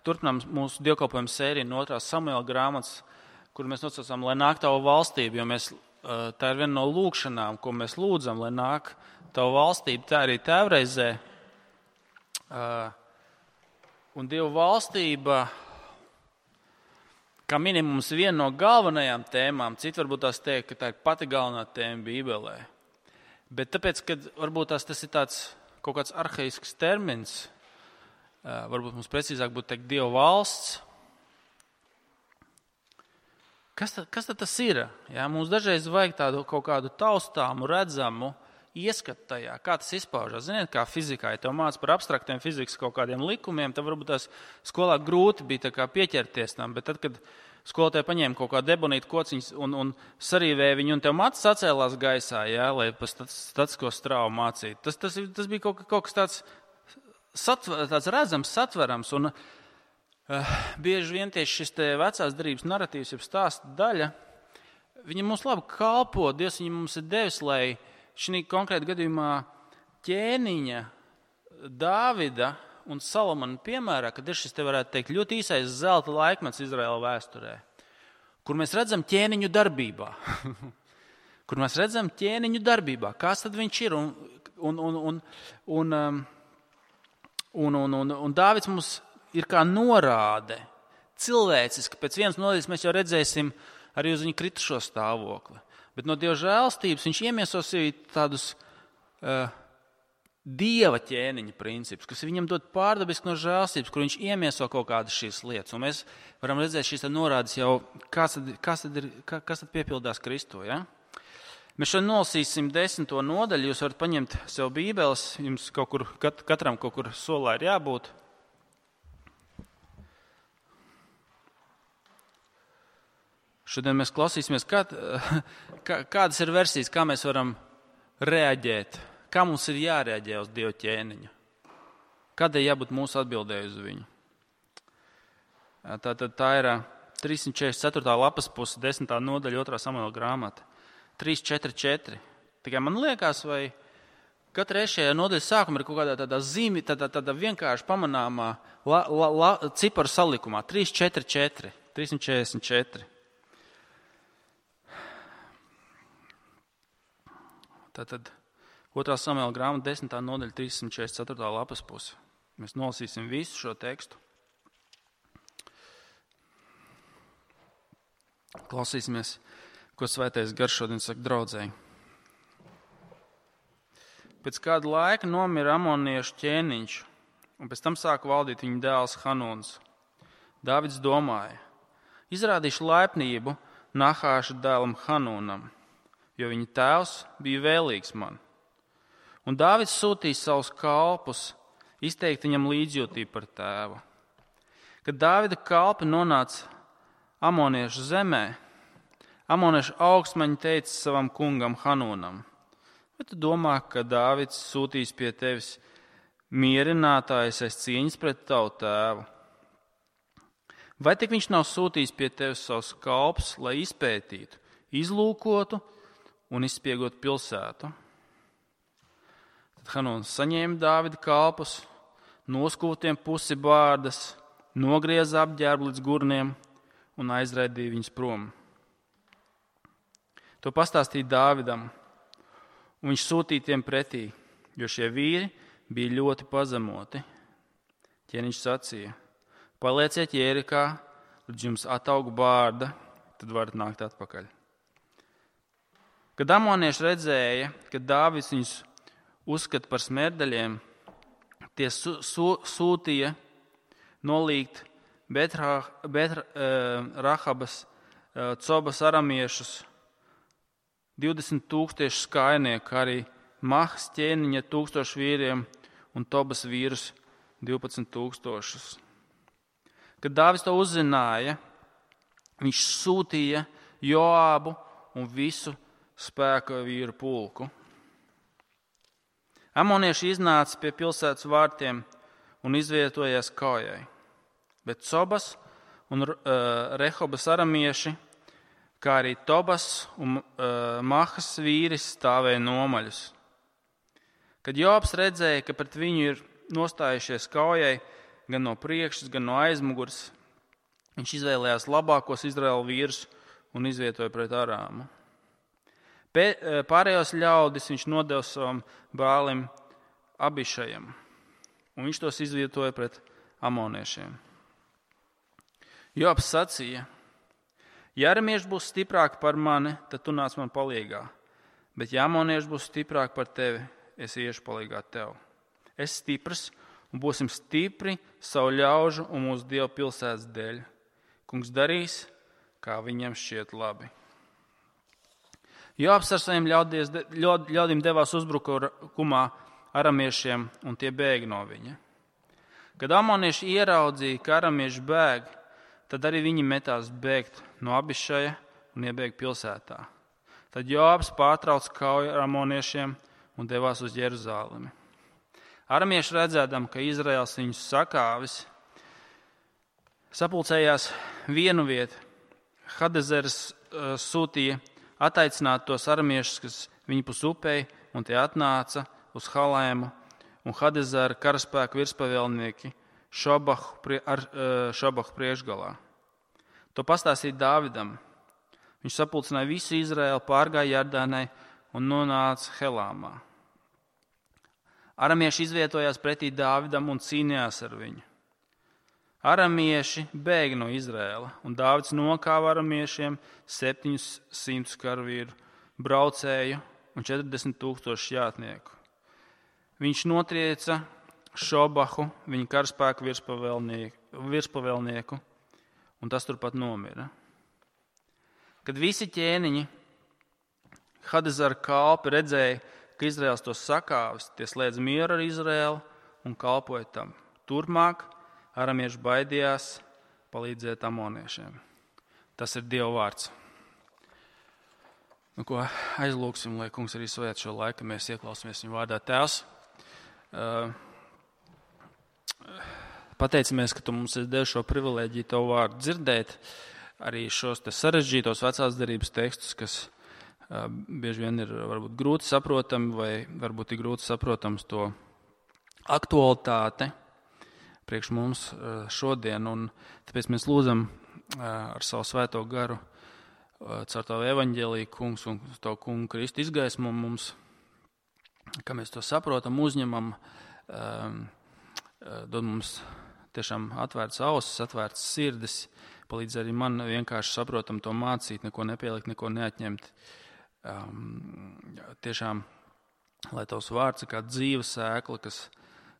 Turpinām mūsu dievkalpojumu sēriju no 2. Samuela grāmatas, kur mēs nosaucām, lai nāk tava valstība, jo tā ir viena no lūkšanām, ko mēs lūdzam, lai nāk tava valstība, tā arī tēvreizē. Un Dieva valstība, kā minimums, viena no galvenajām tēmām, citi varbūt tās teikt, ka tā ir pati galvenā tēma Bībelē. Bet tāpēc, ka varbūt tas ir tāds kaut kāds arhaisks termins, varbūt mums precīzāk būtu teikt Dieva valsts. Kas tad tas ir? Jā, mums dažreiz vajag tādu kaut kādu taustāmu, redzamu ieskatu tajā, kā tas izpaužas. Ziniet, kā fizikā, ja tev māca par abstraktiem fizikas kaut kādiem likumiem, tad varbūt tās skolā grūti bija tā kā pieķerties tam, bet tad, kad skolotāji paņēma kaut kādu ebonītu kociņus un sarīvēja viņu, un tev māca sacēlās gaisā, jā, lai pa statisko strāvu mācītu. Tas bija kaut kas tāds redzams, satverams, un bieži vien tieši šis vecās derības narratīvs, jeb stāsta daļa, viņa mums labi kalpo, Dievs viņu mums ir devis, lai šī konkrēta gadījumā ķēniņa, Dāvida un Salamana piemērā, kad ir šis, te varētu teikt, ļoti īsais zelta laikmets Izraēla vēsturē, kur mēs redzam ķēniņu darbībā. Kur mēs redzam ķēniņu darbībā. Kas tad viņš ir? Un Dāvids mums ir kā norāde, cilvēciski. Pēc vienas nodaļas mēs jau redzēsim arī uz viņa kritušo stāvokli. Bet no Dieva žēlstības viņš iemieso sevī tādus Dieva ķēniņa principus, kas viņam dod pārdabiski no žēlstības, kur viņš iemieso kaut kādas šīs lietas. Un mēs varam redzēt šīs norādes jau, kas tad piepildās Kristo, ja? Mēs šodien nolasīsim 10. nodaļu, jūs varat paņemt sev bībeles, jums katram kaut kur solā ir jābūt. Šodien mēs klausīsimies, kādas ir versijas, kā mēs varam reaģēt, kā mums ir jārēģē uz Dieva ķēniņu, kādai jābūt mūsu atbildēji uz viņu. Tā ir 344. lapas puse, 10. nodaļa, 2. Samuela grāmata. 3:4:4. Tikai man liekas, vai katra šajā nodaļas sākuma ir kaut kādā tādā zīme, tāda vienkārši pamanāmā ciparu salikumā. 3:4:4. 344. Tātad 2. Samuela grāmata 10. nodaļa 344. lapas puse. Mēs nolasīsim visu šo tekstu. Klausīsimies, ko Svētais Gars šodien saka draudzēji. Pēc kāda laika nomira amoniešu ķēniņš, un pēc tam sāka valdīt viņa dēls Hanūns. Dāvids domāja, izrādīšu laipnību Nahāša dēlam Hanūnam, jo viņa tēvs bija vēlīgs man. Un Dāvids sūtīja savus kalpus izteikt viņam līdzjūtību par tēvu. Kad Dāvida kalpi nonāca amoniešu zemē, amoniešu augstmaņi teica savam kungam Hanūnam, vai tu domā, ka Dāvids sūtīs pie tevis mierinātājs aiz cieņas pret tavu tēvu? Vai tik viņš nav sūtījis pie tevis savus kalpus, lai izpētītu, izlūkotu un izspiegotu pilsētu? Tad Hanūns saņēma Dāvida kalpus, noskūtiem pusi bārdas, nogrieza apģērbu līdz gurniem un aizraidīja viņus prom. To pastāstīja Dāvidam, un viņš sūtīja tiem pretī, jo šie vīri bija ļoti pazemoti. Ķēniņš sacīja, palieciet Jērikā, līdz jums ataug bārda, tad varat nākt atpakaļ. Kad amonieši redzēja, ka Dāvids viņus uzskata par smērdeļiem, tie sūtīja nolīgt Rahabas, Cobas aramiešus, 20,000 skainieku, arī Mahas ķēniņa 1000 vīriem un Tobas vīrus 12,000. Kad Dāvids to uzzināja, viņš sūtīja Joābu un visu spēka vīru pulku. Amonieši iznāca pie pilsētas vārtiem un izvietojās kaujai, bet Cobas un Rehobas aramieši, kā arī Tobas un Mahas vīris stāvēja nomaļus. Kad Joabs redzēja, ka pret viņu ir nostājušies kaujai, gan no priekšas, gan no aizmugures. Viņš izvēlējās labākos Izraēla vīrus un izvietoja pret Arāmu. Pārējos ļaudis viņš nodeva savam brālim Abišajam, un viņš tos izvietoja pret amoniešiem. Joabs sacīja: ja aramieši būs stiprāki par mani, tad tu nāc man palīgā, bet ja amonieši būs stiprāki par tevi, es iešu palīgā tev. Es stiprs un būsim stipri savu ļaužu un mūsu Dieva pilsētas dēļ. Kungs darīs, kā viņam šķiet labi. Joabs ar saviem ļaudīm devās uzbrukumā aramiešiem, un tie bēga no viņa. Kad amonieši ieraudzīja, ka aramieši bēg, tad arī viņi metās bēgt no Abišaja un iebēga pilsētā. Tad Joabs pārtrauca kauju ar amoniešiem un devās uz Jeruzālemi. Aramieši redzēdam, ka Izraels viņus sakāvis, sapulcējās vienu vietu. Hadezers sūtīja attaicināt tos aramiešus, kas viņi pus upei, un tie atnāca uz Halēmu, un Hadezera karaspēku virspavēlnieki Šobahu priekšgalā. To pastāstīja Dāvidam. Viņš sapulcināja visu Izraēlu, pārgāja Jordānai un nonāca Helāmā. Aramieši izvietojās pretī Dāvidam un cīnījās ar viņu. Aramieši bēga no Izraēla, un Dāvids nokāva aramiešiem 700 karavīru, braucēju un 40,000 jātnieku. Viņš notrieca Šobahu, viņa karaspēku virspavēlnieku, un tas turpat nomira. Kad visi ķēniņi Hadezera kalpi redzēja, ka Izraels tos sakāvis, tie slēdz mieru ar Izraēlu un kalpoja tam. Turpmāk aramieši baidījās palīdzēt amoniešiem. Tas ir Dieva vārds. Nu, ko aizlūksim, lai kungs arī svēt šo laiku, mēs ieklausāmies viņa vārdā. Tēvs, pateicamies, ka tu mums esi devis šo privilēģiju tavu vārdu dzirdēt, arī šos te sarežģītos vecās derības tekstus, kas bieži vien ir varbūt grūti saprotami vai varbūt ir grūti saprotams to aktualitāte priekš mums šodien. Un tāpēc mēs lūdzam ar savu svēto garu caur tavu evaņģēliju, kungs, un tavu kungu Kristu izgaismo mums, ka mēs to saprotam, uzņemam, dod mums tiešām atvērts ausis, atvērts sirdis, palīdz arī man vienkārši saprotam to mācīt, neko nepielikt, neko neatņemt. Tiešām, lai tavs vārds ir kā dzīva sēkla,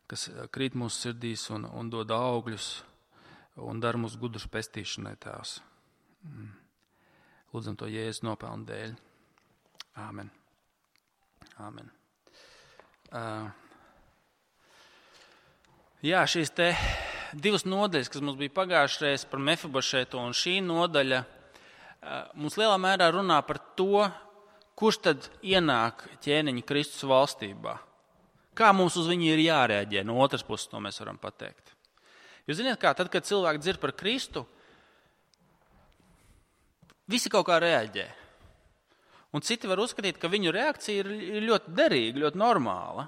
kas krīt mūsu sirdīs un dod augļus un dara mūsu gudrus pestīšanai, Tēvs. Lūdzam to Jēzus nopelnu dēļ. Āmen. Āmen. Jā, šīs te divas nodaļas, kas mums bija pagājušreiz par Mefibošetu, un šī nodaļa mums lielā mērā runā par to, kurš tad ienāk ķēniņa Kristus valstībā. Kā mums uz viņu ir jārēģē? No otras puses to mēs varam pateikt. Jūs zināt kā, tad, kad cilvēki dzird par Kristu, visi kaut kā reaģē. Un citi var uzskatīt, ka viņu reakcija ir ļoti derīga, ļoti normāla.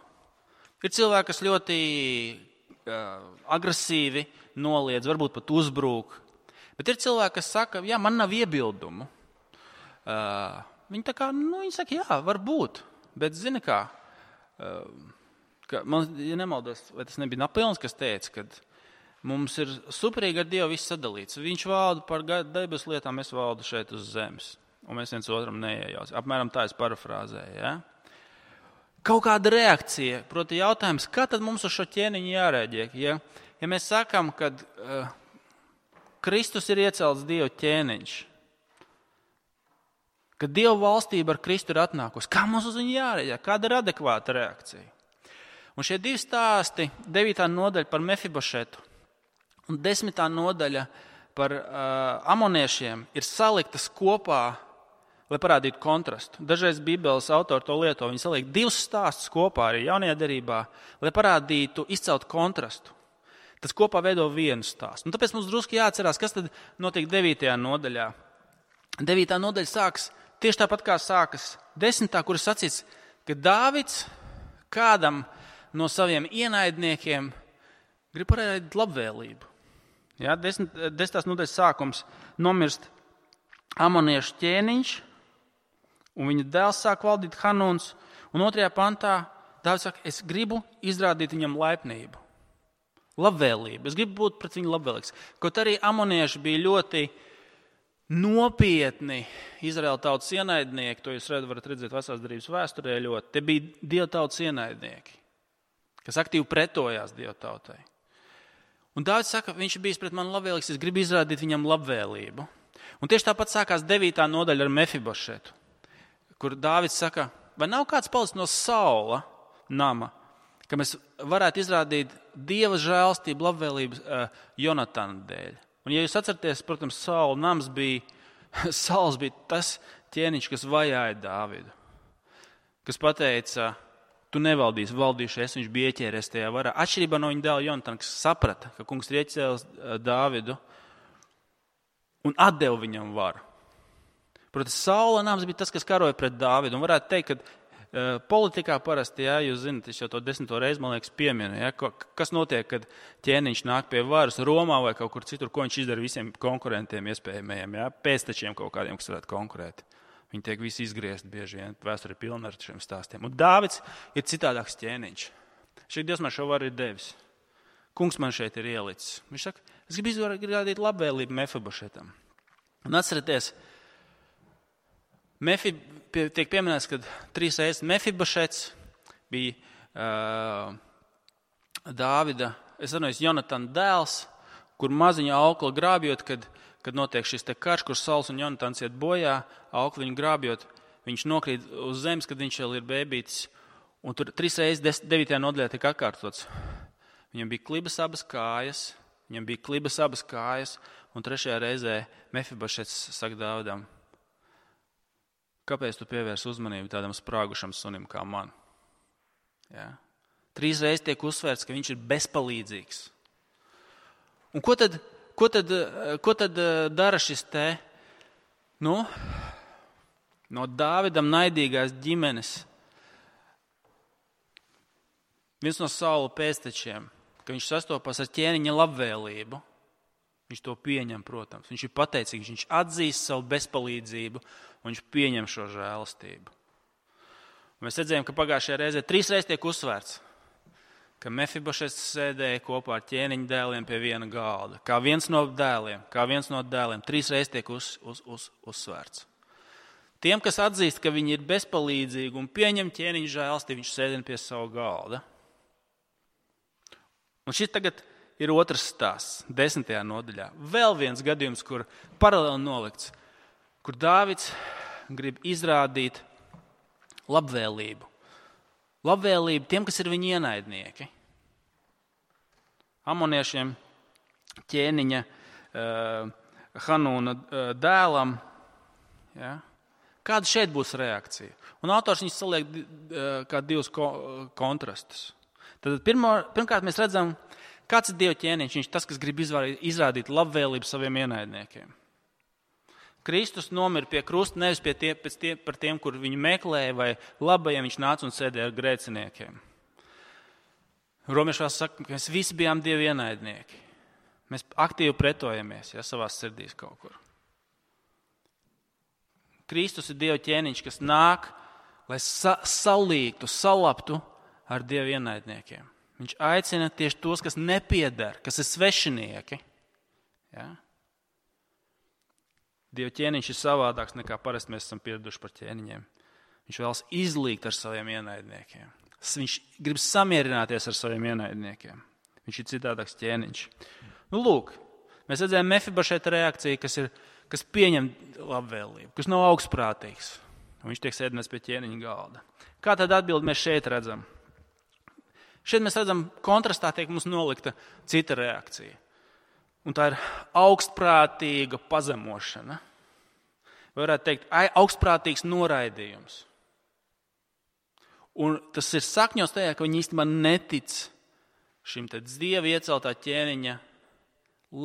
Ir cilvēki, kas ļoti agresīvi noliedz, varbūt pat uzbrūk. Bet ir cilvēki, kas saka, jā, man nav iebildumu. Viņi tā kā, viņi saka, jā, varbūt. Bet zini kā, man, ja nemaldos, vai tas nebija Napoleons, kas teica, ka mums ir superīgi ar Dievu viss sadalīts. Viņš valda par debes lietām, es valdu šeit uz zemes. Un mēs viens otram neiejauc. Apmēram tā es parafrāzēju, ja? Kaut kāda reakcija, proti jautājums, kā tad mums uz šo ķēniņu jārēģē? Ja mēs sakām, ka Kristus ir iecelts Dieva ķēniņš, ka Dieva valstība ar Kristu ir atnākusi, kā mums uz viņu jārēģē? Kāda ir adekvāta reakcija? Un šie divi stāsti, 9. nodaļa par Mefibošetu un 10. nodaļa par amoniešiem, ir saliktas kopā, lai parādītu kontrastu. Dažreiz Bībeles autori to lieto, viņi saliek divus stāstus kopā arī jaunajā derībā, lai parādītu, izcelt kontrastu. Tas kopā veido vienu stāstu. Un tāpēc mums drusku jāatcerās, kas tad notiek 9. nodaļā. 9. nodaļa sāks tieši tāpat kā sākas 10. kur ir sacīts, ka Dāvids kādam no saviem ienaidniekiem grib parādīt labvēlību. Ja, 10. nodaļas sākums nomirst amoniešu ķēniņš, un viņa dēls sāk valdīt Hanūns, un 2. pantā Dāvids saka, es gribu izrādīt viņam laipnību, labvēlību, es gribu būt pret viņu labvēlīgs. Kaut arī amonieši bija ļoti nopietni Izraēla tautas ienaidnieki, to jūs varat redzēt Vecās derības vēsturē ļoti. Te bija Dieva tautas ienaidnieki, kas aktīvi pretojās Dieva tautai. Un Dāvids saka, viņš ir bijis pret mani labvēlīgs, es gribu izrādīt viņam labvēlību. Un tieši tāpat sākās 9. nodaļa ar Mefibošetu, kur Dāvids saka, vai nav kāds palicis no Saula nama, ka mēs varētu izrādīt Dieva žēlstību, labvēlību Jonatana dēļ. Un, ja jūs atceraties, protams, Sauls bija tas ķēniņš, kas vajāja Dāvidu, kas pateica, tu nevaldīsi, valdīšu es, viņš bija ieķēries tajā varā. Atšķirībā no viņa dēla Jonatana, kas saprata, ka kungs ir ieķēlis Dāvidu un atdeva viņam varu. Protams, Saula nams bija tas, kas karoja pret Dāvidu. Un varētu teikt, ka politikā parasti, ja, jūs zināt, es jau to 10. reizi, man liekas, pieminu, ja, kas notiek, kad ķēniņš nāk pie varas Romā vai kaut kur citur, ko viņš izdara visiem konkurentiem iespējamajiem, ja, pēctečiem kaut kādiem, kas varētu konkurēt. Viņi tiek visi izgriezt bieži vien, vēsture ir pilna ar šiem stāstiem. Un Dāvids ir citādāks ķēniņš. Šeit Dievs man šo varu ir devis. Kungs man šeit ir ielicis. Viņš saka, es gribu izrādīt labvēlību Mefibošetam. Un atcerieties, tiek pieminēts, ka 3 reizes Mefibošets bija Dāvida, Jonatana dēls, kur maziņa aukla grābjot, kad notiek šis te karš, kur Sauls un Jonatans iet bojā, aukli viņu grābjot, viņš nokrīt uz zemes, kad viņš vēl ir bēbītis. Un tur 3 reizes 9. nodaļā tika atkārtots. Viņam bija klibas abas kājas, un 3. reizē Mefibošets saka Dāvidam, kāpēc tu pievērsi uzmanību tādam sprāgušam sunim kā man? Ja? 3 reizes tiek uzsvērts, ka viņš ir bezpalīdzīgs. Un ko tad dara šis te, no Dāvidam naidīgās ģimenes? Viens no Saula pēctečiem, ka viņš sastopas ar ķēniņa labvēlību. Viņš to pieņem, protams. Viņš ir pateicīgs, viņš atzīst savu bezpalīdzību un viņš pieņem šo žēlastību. Un mēs redzējām, ka pagājušajā reizē 3 reizes tiek uzsvērts, ka Mefibošets sēdēja kopā ar ķēniņa dēliem pie viena galda. Kā viens no dēliem. 3 reizes tiek uzsvērts. Tiem, kas atzīst, ka viņi ir bezpalīdzīgi un pieņem ķēniņa žēlastību, viņš sēdina pie savu galda. Un šis tagad ir otrs stāsts, 10. nodaļā. Vēl viens gadījums, kur paralēli nolikts, kur Dāvids grib izrādīt labvēlību. Labvēlību tiem, kas ir viņa ienaidnieki. Amoniešiem, ķēniņa Hanūna dēlam. Ja? Kāda šeit būs reakcija? Un autors viņus saliek kā 2 kontrastus. Tad pirmkārt mēs redzam, kāds ir Dieva ķēniņš. Viņš ir tas, kas grib izrādīt labvēlību saviem ienaidniekiem. Kristus nomira pie krusta nevis par tiem, kur viņu meklēja, vai labajiem viņš nāca un sēdēja ar grēciniekiem. Romiešu vēsts saka, ka mēs visi bijām Dieva ienaidnieki. Mēs aktīvi pretojamies, ja, savās sirdīs kaut kur. Kristus ir Dieva ķēniņš, kas nāk, lai salīgtu, salaptu ar Dieva ienaidniekiem. Viņš aicina tieši tos, kas nepieder, kas ir svešinieki. Ja? Dieva ķēniņš ir savādāks nekā parasti mēs esam pieraduši par ķēniņiem. Viņš vēlas izlīgt ar saviem ienaidniekiem. Viņš grib samierināties ar saviem ienaidniekiem. Viņš ir citādāks ķēniņš. Nu, lūk, mēs redzējām Mefibošeta reakciju, kas pieņem labvēlību, kas nav augstprātīgs. Viņš tiek sēdināts pie ķēniņa galda. Kā tad atbildi mēs šeit redzam? Šeit mēs redzam, kontrastā tiek mums nolikta cita reakcija. Un tā ir augstprātīga pazemošana. Vai varētu teikt, augstprātīgs noraidījums. Un tas ir sakņos tajā, ka viņi īstenībā netic šim te Dieva ieceltā ķēniņa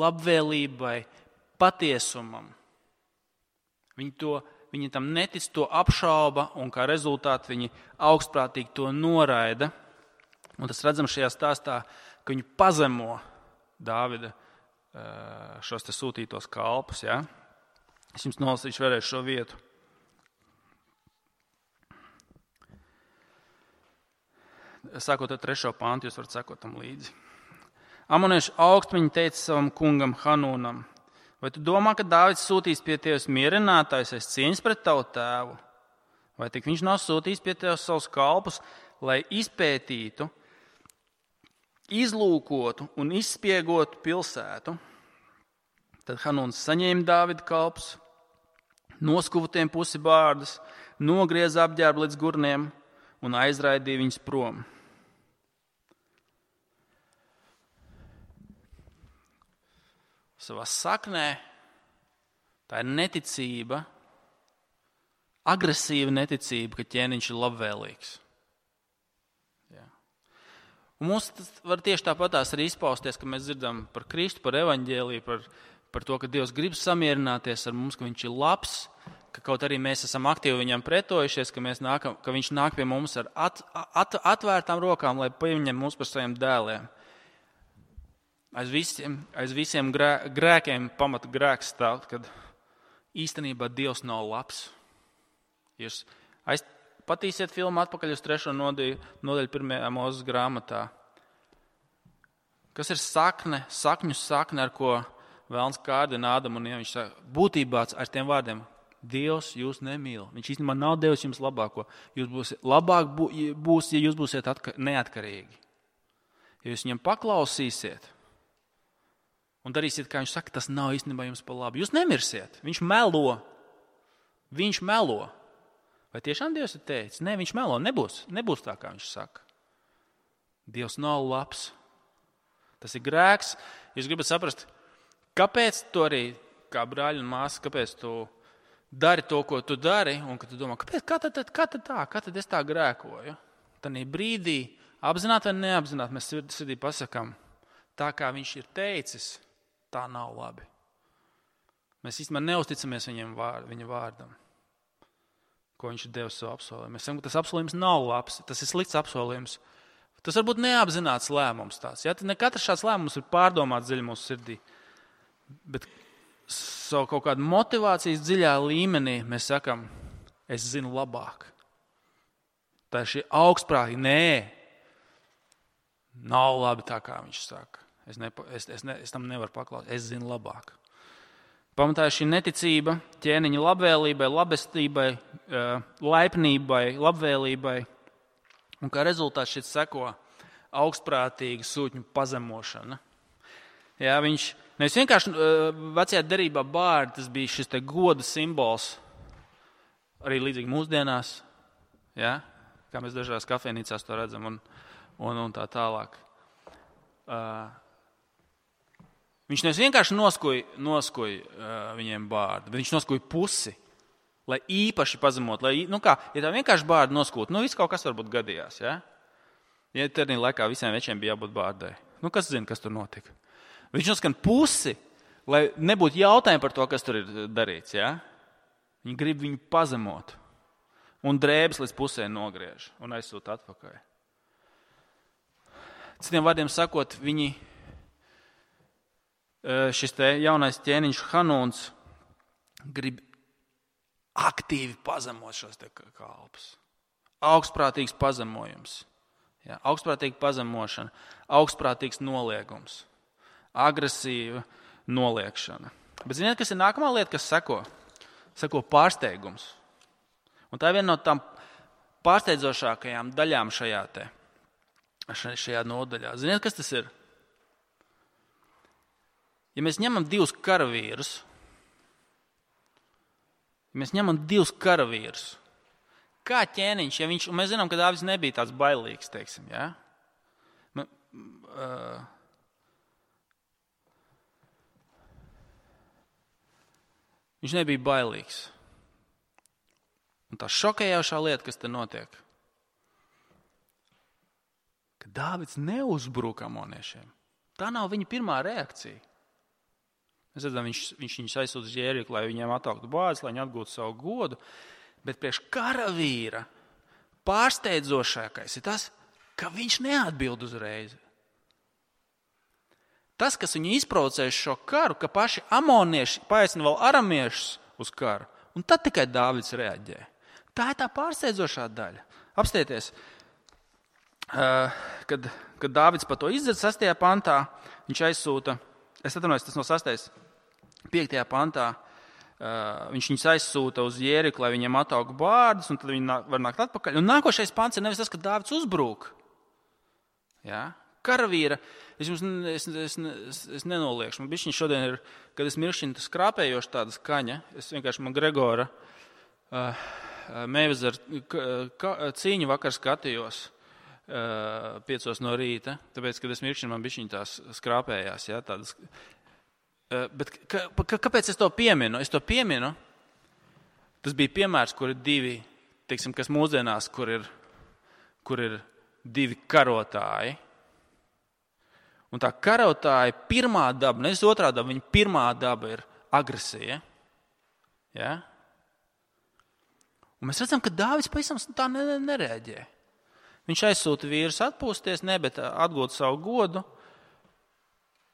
labvēlībai, patiesumam. Viņi tam netic, to apšauba, un kā rezultāti viņi augstprātīgi to noraida. Un tas redzam šajā stāstā ka viņi pazemo Dāvida šos te sūtītos kalpus. Ja? Es jums nolasīšu vēlreiz šo vietu. Sākot ar 3. pantu, jūs varat sekot tam līdzi. Amoniešu augstmaņi teica savam kungam Hanūnam: vai tu domā, ka Dāvids sūtīs pie tevis mierinātājs aiz cieņas pret tavu tēvu? Vai tik viņš nav sūtījis pie tevis savus kalpus, lai izpētītu, izlūkotu un izspiegotu pilsētu? Tad Hanūns saņēma Dāvida kalpus, noskuva tiem pusi bārdas, nogrieza apģērbu līdz gurniem un aizraidīja viņus prom. Savā saknē tā ir neticība, agresīva neticība, ka ķēniņš ir labvēlīgs. Jā. Un mums tas var tieši tāpatās arī izpausties, ka mēs dzirdam par Kristu, par evaņģēliju, par to, ka Dievs grib samierināties ar mums, ka viņš ir labs, ka kaut arī mēs esam aktīvi viņam pretojušies, ka viņš nāk pie mums ar atvērtām rokām, lai pieņem mūs par saviem dēliem. Aiz visiem grēkiem pamata grēks stāv, kad īstenībā Dievs nav labs. Jūs patīsiet filmu atpakaļ uz 3. nodaļu 1. Mūzes grāmatā. Kas ir sakņu sakne, ar ko Velns kārdina Ādamu un Ievu? Viņš saka, būtībā ar tiem vārdiem: Dievs jūs nemīl. Viņš īstenībā nav devis jums labāko. Labāk būs, ja jūs būsiet neatkarīgi. Ja jūs viņam paklausīsiet un darīsiet, kā viņš saka, tas nav īstenībā jums par labu. Jūs nemirsiet. Viņš melo. Vai tiešām Dievs ir teicis? Nē, viņš melo. Nebūs tā, kā viņš saka. Dievs nav labs. Tas ir grēks. Jūs gribat saprast, kāpēc tu arī, kā brāļi un māsas, kāpēc tu dari to, ko tu dari, un ka tu domā, kā tad es tā grēkoju? Tanī brīdī, apzināti vai neapzināti, mēs sirdī pasakām, tā kā viņš ir teicis, tā nav labi. Mēs īstenībā neusticamies viņa vārdam, ko viņš ir devis savu apsolījumu. Mēs sakām, ka tas apsolījums nav labs, tas ir slikts apsolījums. Tas var būt neapzināts lēmums tāds. Ja? Ne katrs šāds lēmums ir pārdomāts dziļi mūsu sirdī. Bet savu kaut kādu motivācijas dziļā līmenī mēs sakām, es zinu labāk. Tā ir šī augstprātīga. Nē, nav labi tā, kā viņš saka. Es tam nevaru paklausīt. Es zinu labāk. Pamatā ir šī neticība ķēniņa labvēlībai, labestībai, laipnībai, labvēlībai. Un kā rezultāts šeit seko augstprātīga sūtņu pazemošana. Jā, viņš nevis vienkārši vecajā derībā bārdi, tas bija šis te goda simbols, arī līdzīgi mūsdienās, jā, kā mēs dažās kafejnīcās to redzam un tā tālāk. Viņš nevis vienkārši noskoja viņiem bārdu, bet viņš noskoja pusi, lai īpaši pazemot. Ja tā vienkārši bārdu noskūt, viss kaut kas varbūt gadījās. Ja, ja tērnī laikā visiem večiem bija jābūt bārdai. Kas zina, kas tur notika? Viņš noskan pusi, lai nebūtu jautājumu par to, kas tur ir darīts. Ja? Viņi grib viņu pazemot un drēbes līdz pusē nogriež un aizsūta atpakaļ. Citiem vārdiem sakot, šis te jaunais ķēniņš Hanūns grib aktīvi pazemot šos te kalpus. Augstprātīgs pazemojums. Jā, augstprātīga pazemošana, augstprātīgs noliegums, agresīva noliekšana. Bet ziniet, kas ir nākamā lieta, kas seko? Seko pārsteigums. Un tā ir viena no tām pārsteidzošākajām daļām šajā nodaļā. Ziniet, kas tas ir? Ja mēs ņemam divus karavīrus, kā ķēniņš, un mēs zinām, ka Dāvids nebija tāds bailīgs, teiksim, ja? Viņš nebija bailīgs. Un tā šokējošā lieta, kas te notiek, ka Dāvids neuzbruka amoniešiem. Tā nav viņa pirmā reakcija. Mēs redzam, viņš viņus aizsūta uz Jēriku, lai viņiem atauktu bāzes, lai viņi atgūtu savu godu. Bet priekš karavīra pārsteidzošākais ir tas, ka viņš neatbild uzreiz. Tas, kas viņu izprovocēja šo karu, ka paši amonieši paaicina vēl aramiešus uz karu, un tad tikai Dāvids reaģē. Tā ir tā pārsteidzošā daļa. Apstieties, kad Dāvids par to izdzird 6. pantā, viņš aizsūta, es atvainojos, tas no 6. 5. pantā, viņš viņus aizsūta uz Jēriku, lai viņiem ataug bārdus, un tad viņi var nākt atpakaļ. Un nākošais pants ir nevis tas, ka Dāvids uzbrūk. Ja? Karavīra, es nenoliekšu. Man bišķiņ šodien ir, kad es miršķinu skrāpējoši tāda skaņa, es vienkārši man Gregora Meivezaru cīņu vakar skatījos 5 no rīta, tāpēc, kad es miršķinu, man bišķiņ tās skrāpējās. Ja, tādas. Bet kāpēc es to pieminu? Es to pieminu, tas bija piemērs, kur ir divi, teiksim, kas mūsdienās, kur ir divi karotāji. Un tā karotāja pirmā daba, nevis otrā daba, viņa pirmā daba ir agresija. Ja? Un mēs redzam, ka Dāvids pavisam tā nereaģē. Viņš aizsūta vīrus atpūsties, bet atgūt savu godu.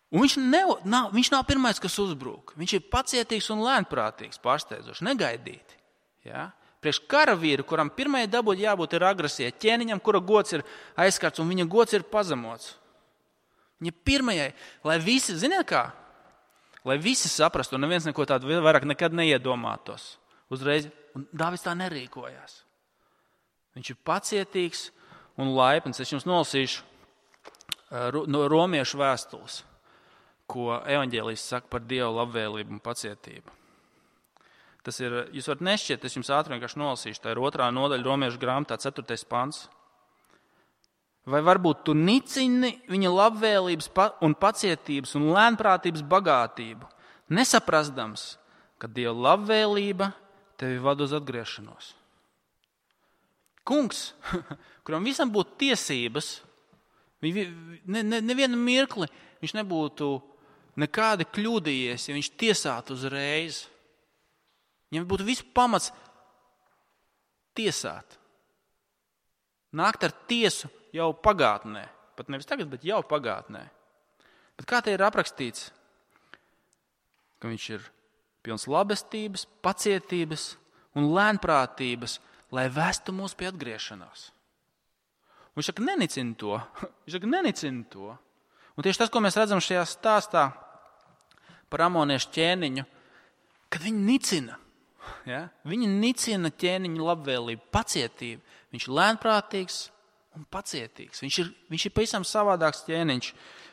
Un viņš nav pirmais, kas uzbrūk. Viņš ir pacietīgs un lēnprātīgs, pārsteidzoši, negaidīti. Ja? Priekš karavīru, kuram pirmajai dabūt jābūt ir agresija, ķēniņam, kura gods ir aizskarts un viņa gods ir pazemots. Viņa pirmajai, lai visi, ziniet kā, lai visi saprastu, un neviens neko tādu vairāk nekad neiedomātos. Uzreiz, un Dāvids tā nerīkojās. Viņš ir pacietīgs un laipns. Es jums nolasīšu no romiešu vēstules, ko evaņģēlijs saka par Dieva labvēlību un pacietību. Tas ir, jūs varat nešķiet, es jums ātri vienkārši nolasīšu. Tā ir 2. nodaļa romiešu grāmatā, 4. pants. Vai varbūt tu nicini viņa labvēlības un pacietības un lēnprātības bagātību, nesaprastams, ka Dieva labvēlība tevi vada uz atgriešanos. Kungs, kuram visam būtu tiesības, nevienu mirkli viņš nebūtu nekādi kļūdījies, ja viņš tiesātu uzreiz. Viņam būtu viss pamats tiesāt. Nākt ar tiesu jau pagātnē. Pat nevis tagad, bet jau pagātnē. Bet kā te ir aprakstīts? Ka viņš ir pilns labestības, pacietības un lēnprātības, lai vestu mūs pie atgriešanās. Un viņš saka, nenicina to. Viņš saka, nenicina to. Un tieši tas, ko mēs redzam šajā stāstā par amoniešu ķēniņu, kad viņi nicina. Ja? Viņi nicina ķēniņu labvēlību, pacietību. Viņš ir lēnprātīgs un pacietīgs. Viņš ir pavisam savādāks ķēniņš.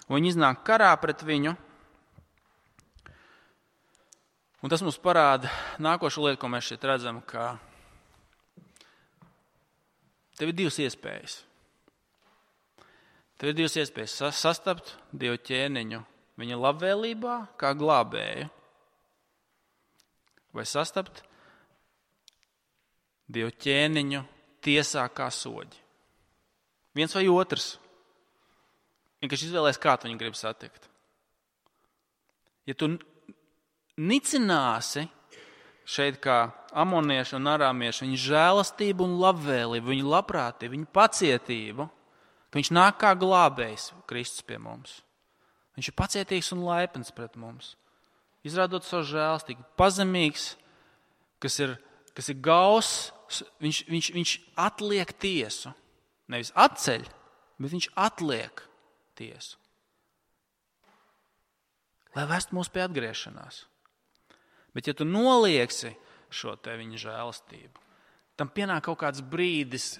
Un viņi iznāk karā pret viņu. Un tas mums parāda nākošo lietu, ko mēs šeit redzam, ka tev ir divas iespējas. Tev ir divas iespējas sastapt Dievu ķēniņu viņa labvēlībā kā glābēju. Vai sastapt Dievu ķēniņu tiesā kā soģi. Viens vai otrs. Vienkārši izvēlēs, kā tu viņu gribi satikt. Ja tu nicināsi šeit kā amonieši un arāmieši viņu žēlastību un labvēlību, viņu labprātību, viņu pacietību, ka viņš nāk kā glābējs Kristus pie mums. Viņš ir pacietīgs un laipns pret mums. Izrādot savu žēlastību, pazemīgs, kas ir gauss, viņš atliek tiesu. Nevis atceļ, bet viņš atliek tiesu. Lai vestu mūs pie atgriešanās. Bet ja tu nolieksi šo te viņa žēlastību, tam pienāk kaut kāds brīdis,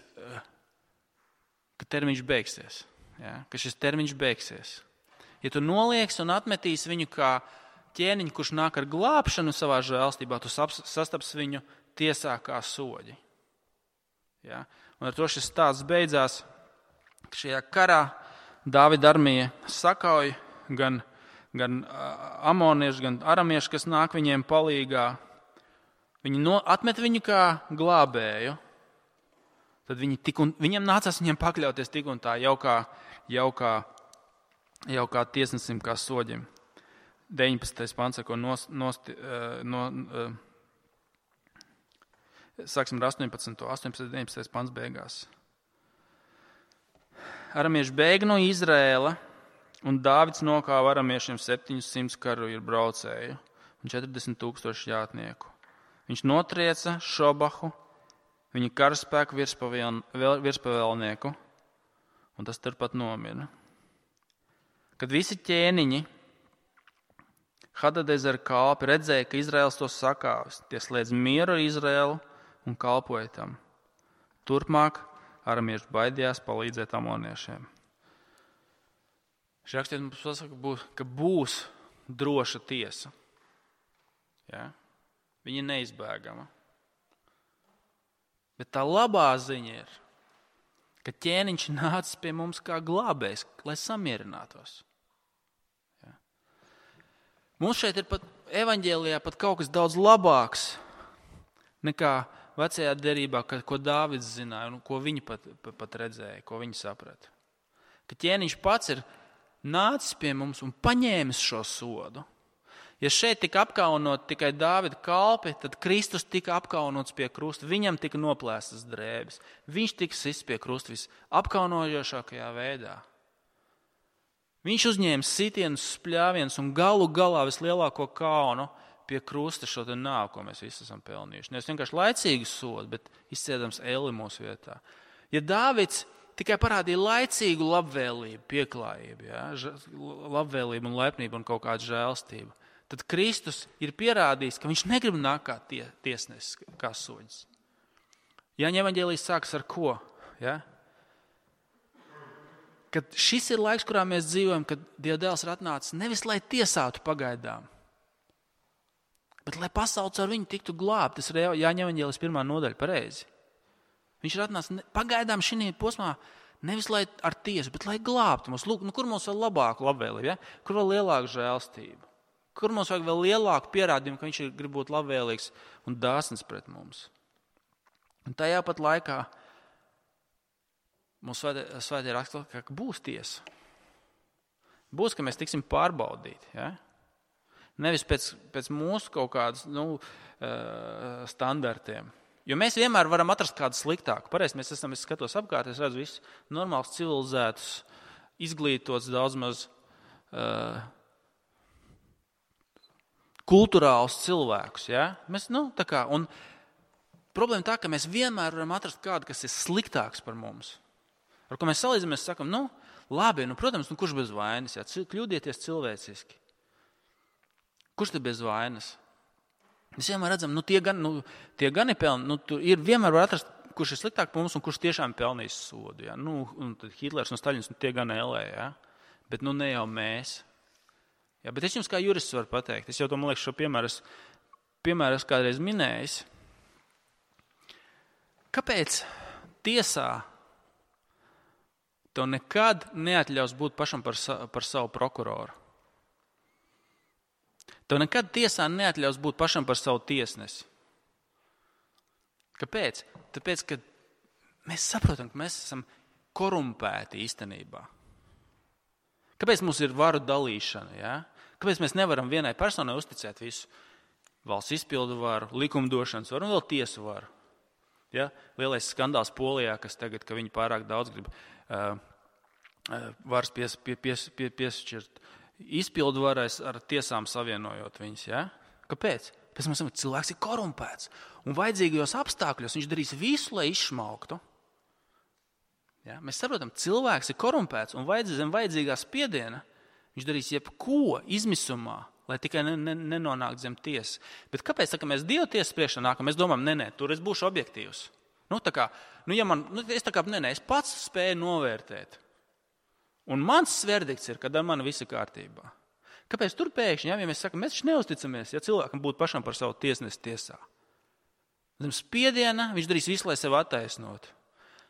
ka termiņš beigsies. Ja? Ka šis termiņš beigsies. Ja tu nolieksi un atmetīsi viņu kā ķēniņu, kurš nāk ar glābšanu savā žēlastībā, tu sastaps viņu tiesā kā soģi. Ja? Un ar to šis stāsts beidzās, ka šajā karā Dāvida armija sakauj gan amonieši, gan aramieši, kas nāk viņiem palīgā. Viņi atmet viņu kā glābēju. Tad viņiem nācās viņiem pakļauties tik un tā jau kā tiesnesim, kā soģim. 19. pants, ko sāksim ar 18. 19. pants beigās. Aramieši bēg no Izraēla, Un Dāvids nokāva aramiešiem 700 karavīru braucēju un 40,000 jātnieku. Viņš notrieca Šobahu, viņa karaspēku virspavēlnieku, un tas turpat nomira. Kad visi ķēniņi Hadadezera kalpi redzēja, ka Izraels to sakāvis, tie slēdz mieru ar Izraelu un kalpoja tam. Turpmāk aramieši baidījās palīdzēt amoniešiem. Šī rakstīt mums pasaka, ka būs droša tiesa. Ja? Viņa ir neizbēgama. Bet tā labā ziņa ir, ka ķēniņš nācis pie mums kā glābējs, lai samierinātos. Ja? Mums šeit ir pat evaņģēlijā pat kaut kas daudz labāks nekā vecajā derībā, ko Dāvids zināja un ko viņi pat redzēja, ko viņi saprata. Ka ķēniņš pats ir nācis pie mums un paņēmis šo sodu. Ja šeit tika apkaunot tikai Dāvida kalpi, tad Kristus tika apkaunots pie krusta. Viņam tika noplēstas drēbes. Viņš tika sists pie krusta visapkaunojošākajā veidā. Viņš uzņēma sitienus, spļāvienus un galu galā vislielāko kaunu pie krusta šo te nāvu, ko mēs visi esam pelnījuši. Nevis vienkārši laicīgu sodu, bet izciedams elli mūsu vietā. Ja Dāvids tikai parādīja laicīgu labvēlību, pieklājību, ja? Labvēlību un laipnību un kaut kādu žēlstību, tad Kristus ir pierādījis, ka viņš negrib nākt kā tiesnesis, kā soģis. Jāņa evaņģēlijs sākas ar ko? Ja? Kad šis ir laiks, kurā mēs dzīvojam, kad Dieva dēls ir atnācis nevis, lai tiesātu pagaidām, bet lai pasaules ar viņu tiktu glābt. Tas ir Jāņa evaņģēlijs 1. nodaļa pareizi. Viņš ir atnācis pagaidām šī posmā nevis lai ar tiesu, bet lai glābtu mums. Lūk, kur mums vēl labāku labvēlību, ja? Kur vēl lielāku žēlstību? Kur mums vajag vēl lielāku pierādījumu, ka viņš grib būt labvēlīgs un dāsns pret mums. Un tajā pat laikā mums svētie raksta, ka būs tiesa. Būs, ka mēs tiksim pārbaudīti. Ja? Nevis pēc mūsu kaut kādas standartiem. Jo mēs vienmēr varam atrast kādu sliktāku. Pareizi, es skatos apkārt, es redzu visus normāls, civilizētus, izglītots, daudz maz kulturālus cilvēkus. Ja? Mēs, un problēma tā, ka mēs vienmēr varam atrast kādu, kas ir sliktāks par mums. Ar ko mēs salīdzam, mēs sakam, labi, protams, kurš bez vainas, ja? Kļūdieties cilvēciski. Kurš te bez vainas? Mēs vienmēr redzam, tie gan ir pelni, ir vienmēr var atrast, kurš ir sliktāk par mums un kurš tiešām pelnīs sodu. Ja? Un tad Hitlers un Staļins, tie gan ēlē, ja? Bet ne jau mēs. Ja, bet es jums kā jurists varu pateikt, es jau to, man liekas, šo piemēru es kādreiz minējis. Kāpēc tiesā tev nekad neatļaus būt pašam par savu prokuroru? Tev nekad tiesā neatļaus būt pašam par savu tiesnesi. Kāpēc? Tāpēc, ka mēs saprotam, ka mēs esam korumpēti īstenībā. Kāpēc mums ir varu dalīšana? Ja? Kāpēc mēs nevaram vienai personai uzticēt visu? Valsts izpildu varu, likumdošanas varu un vēl tiesu varu. Ja? Lielais skandāls Polijā, kas tagad, ka viņi pārāk daudz grib varas piešķirt izpildu varais ar tiesām savienojot viņus. Ja? Kāpēc? Pēc mums cilvēks ir korumpēts. Un vajadzīgajos apstākļos viņš darīs visu, lai izšmauktu. Ja? Mēs saprotam, cilvēks ir korumpēts un zem vajadzīgā spiediena viņš darīs jebko izmisumā, lai tikai nenonāktu zem tiesas. Bet kāpēc, ka mēs Dieva tiesas priekšā nākam, mēs domājam, tur es būšu objektīvs. Es pats spēju novērtēt. Un mans verdikts ir, kad ar mani viss ir kārtībā. Kāpēc tur pēkšņi, ja mēs sakam, mēs taču neusticamies, ja cilvēkam būtu pašam par savu tiesnesi tiesā. Zem spiediena viņš darīs visu, lai sevi attaisnotu.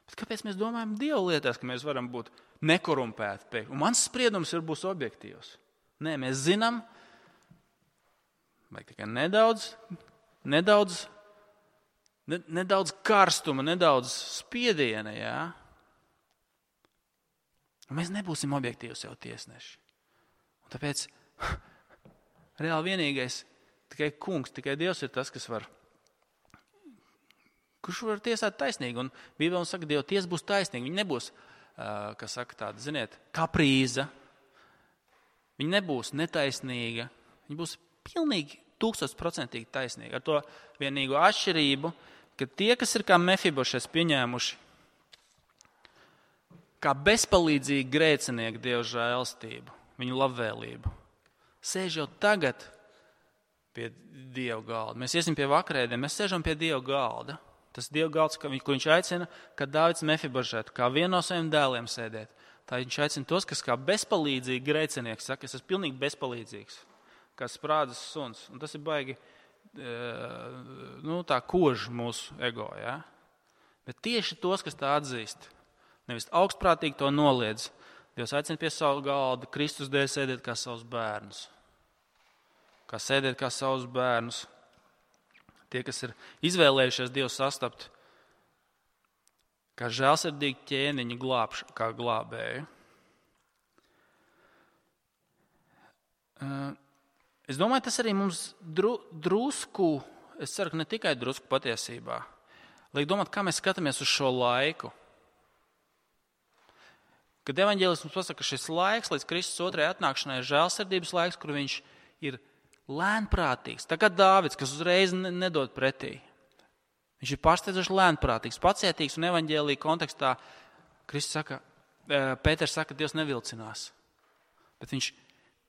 Bet kāpēc mēs domājam Dieva lietās, ka mēs varam būt nekorumpēti? Un mans spriedums būs objektīvs. Nē, mēs zinām, vajag tikai nedaudz karstuma, nedaudz spiediena, jā. Un mēs nebūsim objektīvi sev tiesneši. Un tāpēc reāli vienīgais, tikai kungs, tikai Dievs ir tas, kurš var tiesāt taisnīgi. Un Bībele saka, Dieva tiesa būs taisnīga. Viņa nebūs, tāda, kaprīza, Viņa nebūs netaisnīga, viņa būs pilnīgi 1000% taisnīga. Ar to vienīgo atšķirību, ka tie, kas ir kā Mefibošets pieņēmuši, kā bezpalīdzīgi grēcinieki Dieva žēlastību, viņu labvēlību, sēž jau tagad pie Dieva galda. Mēs iesim pie vakarēdiem, mēs sēžam pie Dieva galda. Tas Dieva galds, kur viņš aicina, kā Dāvids Mefibošetu, kā vienu no saviem dēliem sēdēt. Tā viņš aicina tos, kas kā bezpalīdzīgi grēcinieki saka, es esmu pilnīgi bezpalīdzīgs, kā sprādzes suns. Un tas ir baigi, tā kož mūsu ego, ja? Bet tieši tos, kas tā atzīst, nevis augstprātīgi to noliedz, Dievs aicina pie savu galda, Kristus dēļ sēdēt kā savus bērnus. Kā sēdēt kā savus bērnus. Tie, kas ir izvēlējušies Dievu sastapt, kā žēlsirdīgi ķēniņi kā glābēju. Es domāju, tas arī mums drusku, es ceru, ka ne tikai drusku patiesībā, liek domāt, kā mēs skatāmies uz šo laiku. Kad evaņģēlis mums pasaka, ka šis laiks līdz Kristus otrajai atnākšanai ir žēlsirdības laiks, kur viņš ir lēnprātīgs. Tā kā Dāvids, kas uzreiz nedod pretī. Viņš ir pārsteidzoši lēnprātīgs, pacietīgs un evaņģēlī kontekstā Pēters saka, Dievs nevilcinās. Bet viņš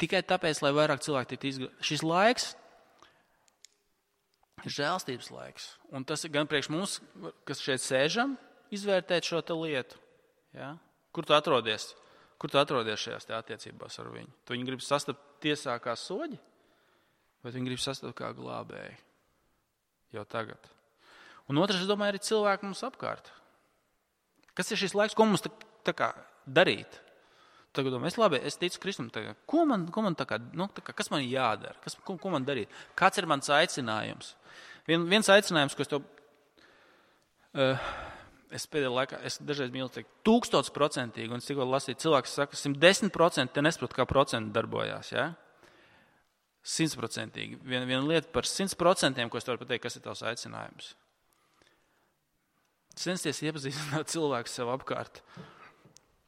tikai tāpēc, lai vairāk cilvēki tiktu izglābti. Šis laiks ir žēlstības laiks. Un tas ir gan priekš mums, kas šeit sēžam, izvērtēt šo te lietu. Ja? Kur tu atrodies? Kur tu atrodies šajās attiecībās ar viņu? Tu viņu gribi sastapt tiesā kā soģi? Vai viņi grib sastapt kā glābēji jau tagad? Un otrs, es domāju, ir cilvēki mums apkārt. Kas ir šis laiks, ko mums tā kā darīt? Tagad domāju, es ticu Kristum, ko man kas man jādara? Ko man darīt? Kāds ir mans aicinājums? Viens aicinājums, ko es pēdējā laikā, es dažreiz mīlu teikt 1000%, un es tikko lasīju, cilvēks saka, 110%, te nesaprotu, kā procenti darbojās, ja? 100%. Viena lieta par 100%, ko es varu pateikt, kas ir tavs aicinājums. Censties iepazīstināt cilvēku sev apkārt.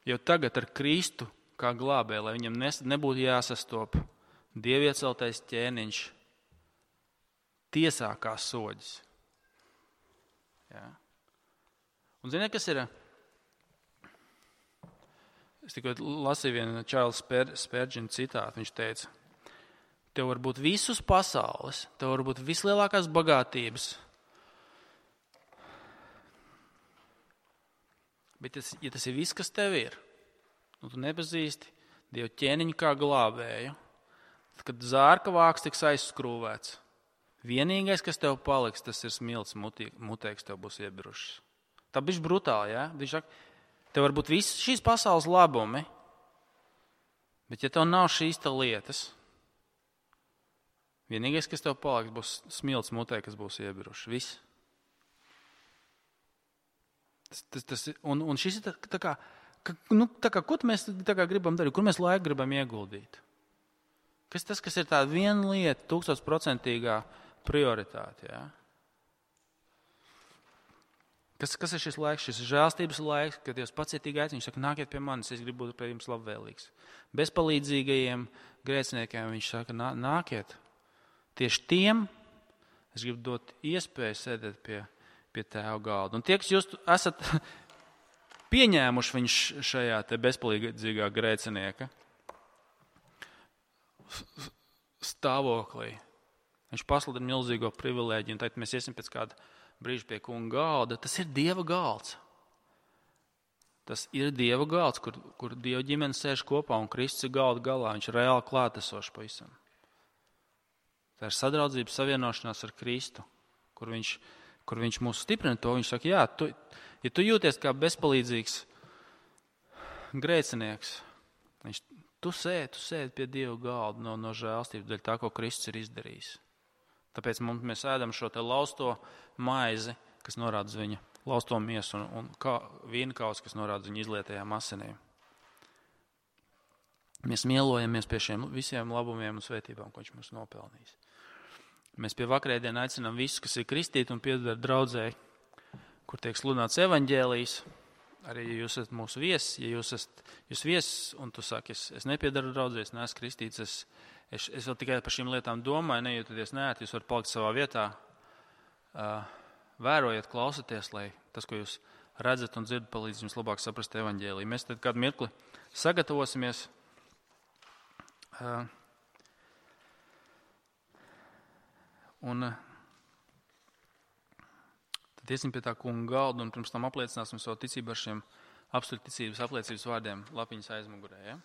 Jau tagad ar Kristu kā glābēju, lai viņam nebūtu jāsastop dievieceltais ķēniņš tiesā kā soģis. Ja. Un ziniet, kas ir? Es tikko lasīju vienu Charles Spurgeon citātu. Viņš teica, tev var būt visus pasaules, tev var būt vislielākās bagātības. Bet ja tas ir viss, kas tev ir, un tu nepazīsti Dievu ķēniņu kā glābēju, tad, kad zārka vāks tiks aizskrūvēts, vienīgais, kas tev paliks, tas ir smilts muteiks tev būs iebirušas. Tā bišķi brutāli, ja? Viņš saka, tev var būt visas šīs pasaules labumi, bet ja tev nav šīs lietas, vienīgais, kas tev paliks, būs smilts mutē, kas būs iebiruši. Viss. Un šis ir tā kā, ko mēs tā kā gribam darīt, kur mēs laiku gribam ieguldīt? Kas tas, kas ir tā viena lieta, 1000% prioritāte, ja? Kas ir šis laiks? Šis ir žēlstības laiks, kad Dievs pacietīgi aicina. Viņš saka, nākiet pie manis, es gribu būt pie jums labvēlīgs. Bezpalīdzīgajiem grēciniekiem viņš saka, nākiet. Tieši tiem es gribu dot iespēju sēdēt pie tēva galda. Un tie, kas jūs esat pieņēmuši viņš šajā te bezpalīdzīgā grēcinieka stāvoklī, viņš pasludina milzīgo privilēģiju, un tagad mēs iesim pēc kāda brīža pie kunga galda. Tas ir Dieva galds. Tas ir Dieva galds, kur Dieva ģimene sēž kopā, un Kristus ir galda galā. Viņš ir reāli klātesošs pavisam. Tā ir sadraudzība, savienošanās ar Kristu, kur viņš mūs stiprina to. Viņš saka, ja tu jūties kā bezpalīdzīgs grēcinieks, tu sēdi pie Dieva galda no žēlstības dēļ tā, ko Kristus ir izdarījis. Tāpēc mēs ēdam šo te lausto maizi, kas norāda uz viņa lausto miesu, un vīnkaus, kas norāda uz viņa izlietajām asinīm. Mēs mielojamies pie šiem visiem labumiem un svētībām, ko viņš mums nopelnījis. Mēs pie vakarēdienu aicinām visus, kas ir kristīti un pieder draudzēji, kur tiek sludināts evaņģēlijs, Arī, ja jūs esat mūsu viesis, ja jūs esat viesis un tu saki, es nepiedaru draudzē, es neesmu kristīts, es vēl tikai par šīm lietām domāju, nejūtaties neērti, jūs varat palikt savā vietā. Vērojiet, klausieties, lai tas, ko jūs redzat un dzirdat, palīdz jums labāk saprast evaņģēliju. Mēs tad kādu mirkli sagatavosimies. Un tad iesim pie tā kunga galda un pirms tam apliecināsim savu ticību ar šiem apstuļu ticības apliecības vārdiem lapiņas aizmugurē. Ja?